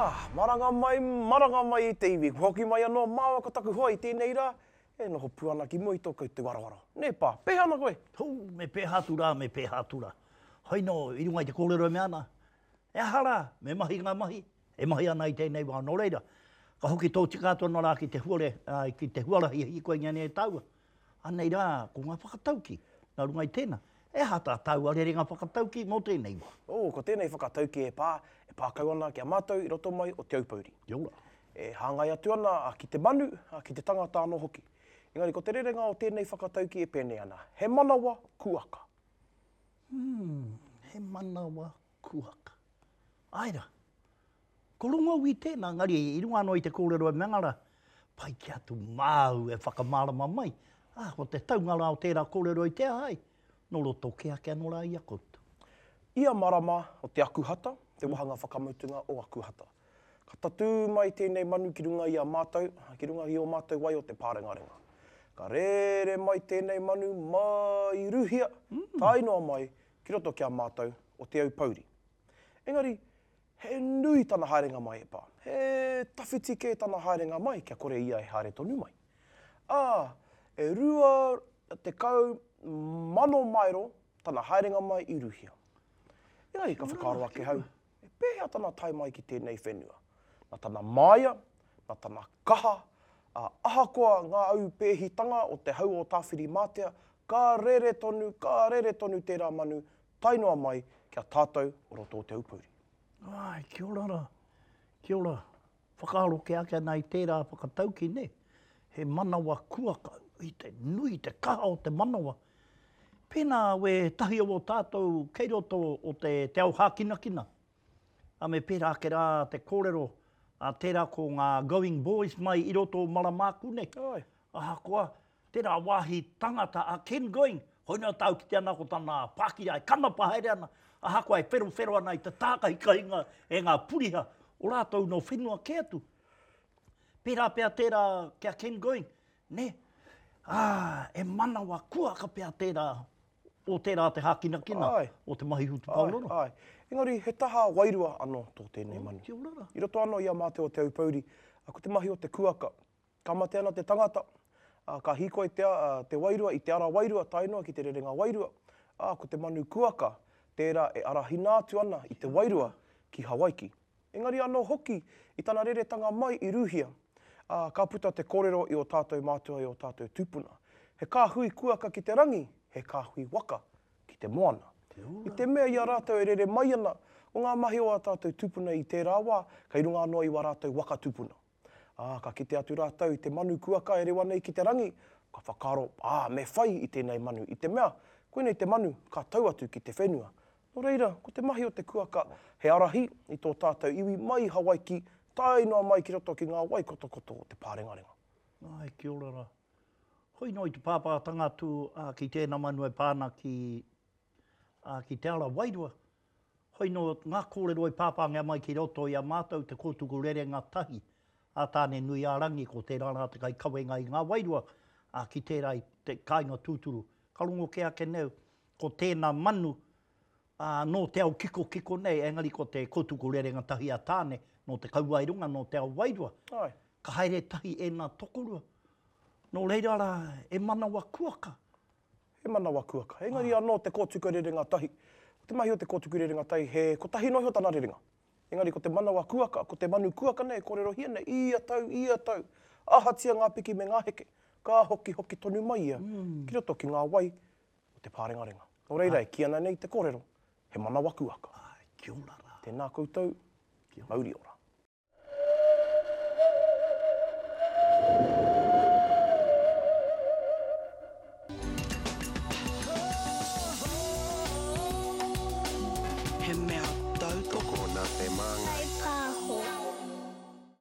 Ah, maranga mai, maranga mai e te iwi. Kua hoki mai anō māua ko taku hoa i tēnei rā, e noho pū ana ki mua i tō koutou aroaro. Nē pā, pēhea ana koe? Hū, me pēhea atu rā, me pēhea atu rā. Hoi nō, i runga i te kōrero e mea ana, He aha rā, me mahi ngā mahi, e mahi ana i tēnei wā. Nō reira, ka hoki tōtika atu anō rā ki te huare, ki te huarahi e hīkoingia nei e tāua. Anei rā, ko ngā whakataukī, nā runga i tēnā, he aha tā tāua rerenga whakataukī mō tēnei wā? Oh, ko tēnei whakataukī e pā, e pā kau ana ki a mātou i roto mai o Te Aupōuri. Kia ora. E hāngai atu ana ki te manu, ki te tangata anō hoki. Engari ko te rerenga o tēnei whakataukī e pēnei ana, He manawa kuaka. Hmm, he manawa kuaka. Āe rā. Ko Rongoui tēnā, engari i runga anō i te kōrero e mea rā, pai ki atu māu e whakamārama mai, ā, ko te taunga rā o tērā kōrero i te aha ai, nō roto kē ake anō rā i a koutou. Ia marama o te Akuhata, te wāhanga whakamutunga o Akuhata. Ka tatū mai tēnei manu ki runga i a mātou, ki runga i ō mātou wai o te pārengarenga. Ka rere mai tēnei manu mai Rūhia, tae noa mai ki roto ki a mātou o Te Aupōuri. Engari, he nui tana haerenga mai e pā. He tawhiti kē tana haerenga mai kia kore ia e haere tonu mai. Ā, e 20,000 maero tana haerenga mai i Rūhia. Engari ka whakaaro ake hau, E pēhea tana tae mai ki tēnei whenua? Nā tana māia, nā tana kaha, ā, ahakoa ngā aupēhitanga o te hau o Tāwhirimātea, ka rere tonu, ka rere tonu tērā manu tae noa mai ki a tātou o roto o Te Aupōuri. Āe, kia ora rā, kia ora. Whakaaro kē ake ana i tērā whakataukī, nē? He manawa kuaka, i te nui, te kaha o te manawa. Pēnā wētahi o ō tātou kei roto o te, te ao hākinakina, ā, me pērā ake rā te kōrero, ā, tērā ko ngā going boys mai i roto o Maramāku nei. Āe. Ahakoa, tērā wāhi tangata a Ken Going, koinā tāu kite ana ko tana pākira e kanapa haere ana, ahakoa e wherowhero ana i te tākahikahinga e ngā puriha o rātou nō whenua kē atu. Pērā pea tērā ki a Ken Going, Nē? Ā, e manawa kuaka pea tērā, o tērā te hākinakina o te mahi hutupaororo. Āe, āe. Engari, he taha wairua anō tō tēnei manu. Kia ora rā. I roto anō i a mātou o Te Aupōuri, ko te mahi o te kuaka, ka mate ana te tangata, ā, ka hīkoi te, te wairua i te ara wairua tae noa ki te rerenga wairua, ā, ko te manu kuaka tērā e arahina atu ana i te wairua ki Hawaiki. Engari anō hoki i tana reretanga mai i Rūhia, ā, ka puta te kōrero i ō tātou mātua i ō tātou tūpuna. He kāhui kuaka ki te rangi, he kāhui waka ki te moana. I te mea i a rātou e rere mai ana, ko ngā mahi o ā tātou tūpuna i tērā wā, kei runga anō i wā rātou waka tūpuna. Ā, ka kite atu rātou i te manu kuaka e rewa nei ki te rangi, ka whakaaro, ā, me whai i tēnei manu, i te mea, koinei te manu ka tau atu ki te whenua. Nō reira, ko te mahi o te kuaka he ārahi i tō tātou iwi mai i Hawaiki tae noa mai ki roto ki ngā wai kotokoto o te pārengarenga. Āe, kia ora rā. Hoi noa i te pāpātanga atu ki tēnā manu e pā ana ki, ki te ara wairua, Hoi nō ngā kōrero i pāpāngia mai ki roto i a mātou te kōtuku rerenga tahi a Tāne-nui-ā-rangi, ko tērā rā te kaikawenga i ngā wairua, ā, ki tērā i te kāinga tūturu. Ka rongo kē ake nei ko tēnā manu, ā, nō te ao kikokiko nei, engari ko te kōtuku rerenga tahi a Tāne, nō te kauae runga, nō te ao wairua. Āe. Ka haere tahi ēnā tokorua. Nō reira rā, e manawa kuaka. He manawa kuaka. Engari anō te kōtuku rerenga tahi. Ko te mahi o te kōtuku rerenga tahi, he kotahi noa iho tana rerenga. Engari ko te manawa kuaka, ko te manu kuaka nei e kōrerohia nei, ia tau, ia tau, ahatia ngā piki me ngā heke, ka hokihoki tonu mai ia ki roto ki ngā wai o te pārengarenga. Nō reira e kī ana nei te kōrero, he manawa kuaka. Āe, kia ora rā. Tēnā koutou, mauri ora. He mea.